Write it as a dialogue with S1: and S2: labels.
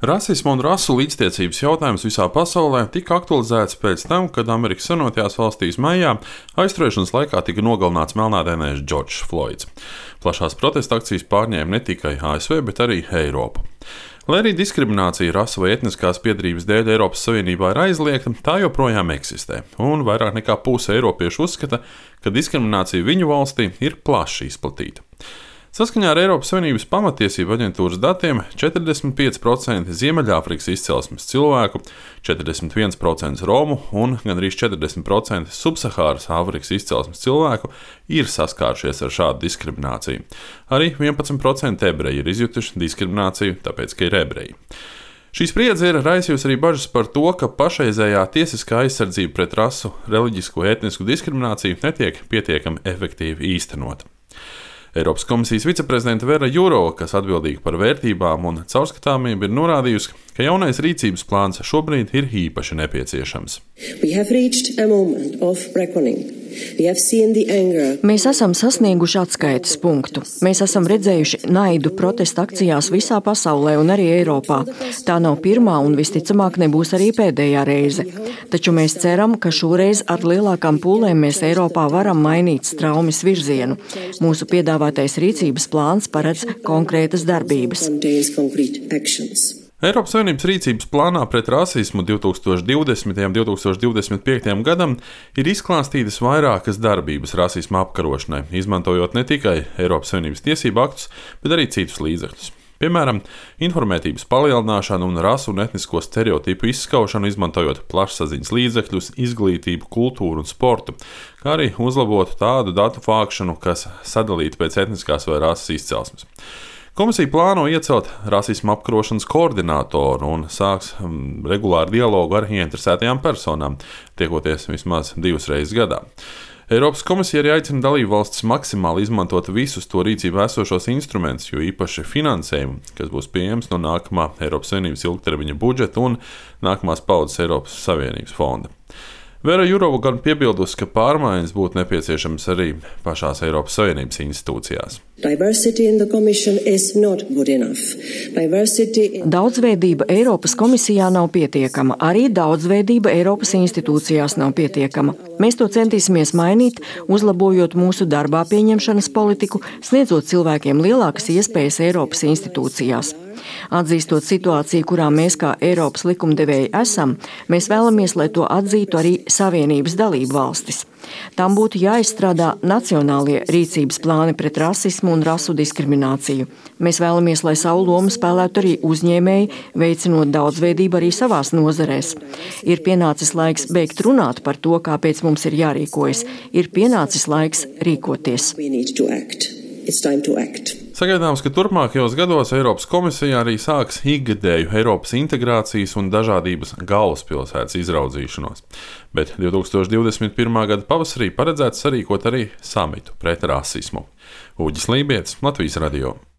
S1: Rasisma un rasu līdztiesības jautājums visā pasaulē tika aktualizēts pēc tam, kad Amerikas Savienotajās valstīs maijā aizturēšanas laikā tika nogalināts melnādainais Džordžs Floids. Plašās protesta akcijas pārņēma ne tikai ASV, bet arī Eiropu. Lai arī diskriminācija rasu vai etniskās piedarības dēļ Eiropas Savienībā ir aizliegta, tā joprojām eksistē, un vairāk nekā puse eiropiešu uzskata, ka diskriminācija viņu valstī ir plaši izplatīta. Saskaņā ar Eiropas Savienības pamatiesību aģentūras datiem 45% Ziemeļāfrikas izcelsmes cilvēku, 41% Romu un gandrīz 40% Subsahāras Āfrikas izcelsmes cilvēku ir saskārušies ar šādu diskrimināciju. Arī 11% ebreji ir izjutuši diskrimināciju, tāpēc, ka ir ebreji. Šī spriedze ir raisījusi arī bažas par to, ka pašreizējā tiesiskā aizsardzība pret rasu, reliģisku, etnisku diskrimināciju netiek pietiekami efektīvi īstenota. Eiropas komisijas viceprezidente Vera Jourova, kas atbildīga par vērtībām un caurskatāmību, ir norādījusi, ka jaunais rīcības plāns šobrīd ir īpaši nepieciešams.
S2: Mēs esam sasnieguši atskaites punktu. Mēs esam redzējuši naidu protesta akcijās visā pasaulē un arī Eiropā. Tā nav pirmā un visticamāk nebūs arī pēdējā reize. Taču mēs ceram, ka šoreiz ar lielākām pūlēm mēs Eiropā varam mainīt straumes virzienu. Mūsu piedāvātais rīcības plāns paredz konkrētas darbības.
S1: Eiropas Savienības rīcības plānā pret rasismu 2020. un 2025. gadam ir izklāstītas vairākas darbības rasisma apkarošanai, izmantojot ne tikai Eiropas Savienības tiesību aktus, bet arī citus līdzekļus. Piemēram, informētības palielināšanu un rasu un etnisko stereotipu izskaušanu, izmantojot plašsaziņas līdzekļus, izglītību, kultūru un sportu, kā arī uzlabotu tādu datu vākšanu, kas sadalīta pēc etniskās vai rases izcelsmes. Komisija plāno iecelt rasisma apkarošanas koordinātoru un sāks regulāru dialogu ar ieinteresētajām personām, tiekoties vismaz 2 reizes gadā. Eiropas komisija arī aicina dalībvalstis maksimāli izmantot visus to rīcībā esošos instrumentus, jo īpaši finansējumu, kas būs pieejams no nākamā Eiropas Savienības ilgtermiņa budžeta un nākamās paudzes Eiropas Savienības fonda. Vera Jourova gan piebildusi, ka pārmaiņas būtu nepieciešamas arī pašās Eiropas Savienības institūcijās.
S2: Daudzveidība Eiropas komisijā nav pietiekama, arī daudzveidība Eiropas institūcijās nav pietiekama. Mēs to centīsimies mainīt, uzlabojot mūsu darbā pieņemšanas politiku, sniedzot cilvēkiem lielākas iespējas Eiropas institūcijās. Atzīstot situāciju, kurā mēs kā Eiropas likumdevēji esam, mēs vēlamies, lai to atzītu arī Savienības dalību valstis. Tam būtu jāizstrādā nacionālie rīcības plāni pret rasismu un rasu diskrimināciju. Mēs vēlamies, lai savu lomu spēlētu arī uzņēmēji, veicinot daudzveidību arī savās nozarēs. Ir pienācis laiks beigt runāt par to, kāpēc mums ir jārīkojas. Ir pienācis laiks rīkoties.
S1: Sagaidāms, ka turpmākajos gados Eiropas komisija arī sāks ikgadēju Eiropas integrācijas un dažādības galvaspilsētas izraudzīšanos, bet 2021. gada pavasarī paredzēts sarīkot arī samitu pret rasismu. Uģis Lībietis, Latvijas radio.